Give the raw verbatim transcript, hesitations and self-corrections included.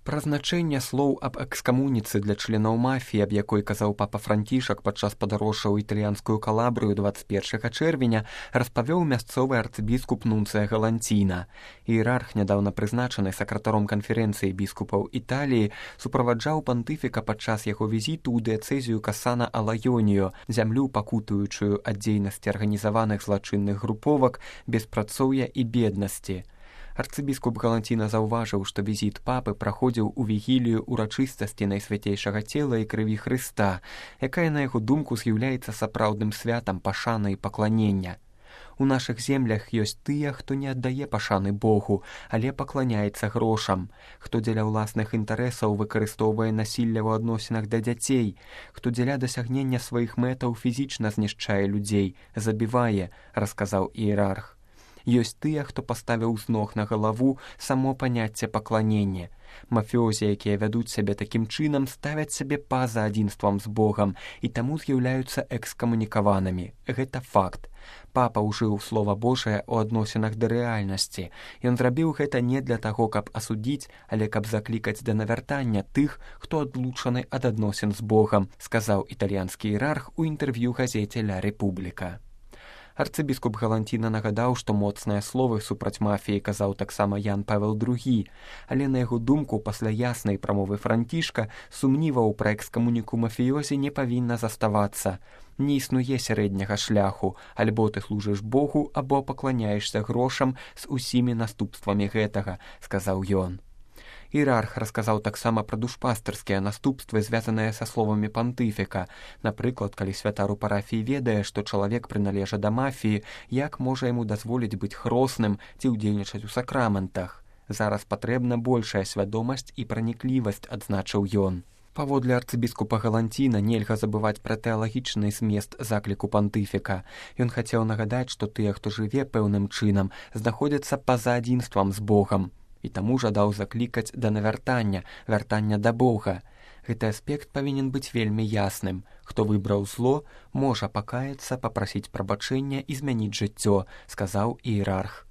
Пра значэнне слоў аб экскамуніцы для членаў мафіі, аб якой казаў папа Францішак падчас падарожжа ў італьянскую Калабрыю дваццаць першага чэрвеня, распавёў мясцовы арцыбіскуп Нунцыя Галанціна. Іерарх, нядаўна прызначаны сакратаром канферэнцыі біскупаў Італіі, суправаджаў пантыфіка падчас яго візіту ў дыяцэзію Касана Алайонію, зямлю, пакутуючую ад дзейнасці арганізаваных злачынных груповак, беспрацоўя і беднасці. Арцыбіскуп Галанціна заўважыў, што візіт папы праходзіў у вігілію ўрачыстасці найсвяцейшага цела і крыві Хрыста, якая, на яго думку, з'яўляецца сапраўдным святам пашаны і пакланення. У нашых землях ёсць тыя, хто не аддае пашаны Богу, але пакланяецца грошам, хто дзеля ўласных інтарэсаў выкарыстоўвае насілля ў адносінах да дзяцей, хто дзеля дасягнення сваіх мэтаў фізічна знішчае людзей, забівае, расказаў іерарх. Ёсць тыя, хто паставіў з ног на галаву само паняцце пакланення. Мафіозі, якія вядуць сябе такім чынам, ставяць сябе па-за адзінствам з Богам і таму з'яўляюцца экскамунікаванымі. Гэта факт. Папа ўжыў слова Божае ў адносінах да рэальнасці. Ён зрабіў гэта не для таго, каб асудзіць, але каб заклікаць да навяртання тых, хто адлучаны ад адносін з Богам, сказаў італьянскі іерарх у інтэрв'ю газеце «Ля Рэпубліка». Арцыбіскуп Галанціна нагадаў, што моцныя словы супраць мафіі казаў таксама Ян Павел другі, але на яго думку пасля яснай прамовы Францішка сумніваў пра экскамуніку мафіёзі не павінна заставацца. Не існуе сярэдняга шляху, альбо ты служыш Богу, або пакланяешся грошам з усімі наступствамі гэтага, сказаў ён. Іерарх расказаў таксама пра душпастырскія наступствы, звязаныя са словамі пантыфіка. Напрыклад, калі святар у парафіі ведае, што чалавек прыналежа да мафіі, як можа яму дазволіць быць хросным ці ўдзельнічаць у сакраментах. Зараз патрэбна большая свядомасць і праніклівасць, адзначыў ён. Паводле арцыбіскупа Галанціна нельга забываць пра тэалагічны змест закліку пантыфіка. Ён хацеў нагадаць, што тыя, хто жыве пэўным чынам, знаходзяцца па-за адзінствам з Богам. І таму жадаў заклікаць да навяртання, вяртання да Бога. Гэты аспект павінен быць вельмі ясным. Хто выбраў зло, можа пакаяцца, папрасіць прабачэння і змяніць жыццё, сказаў іерарх.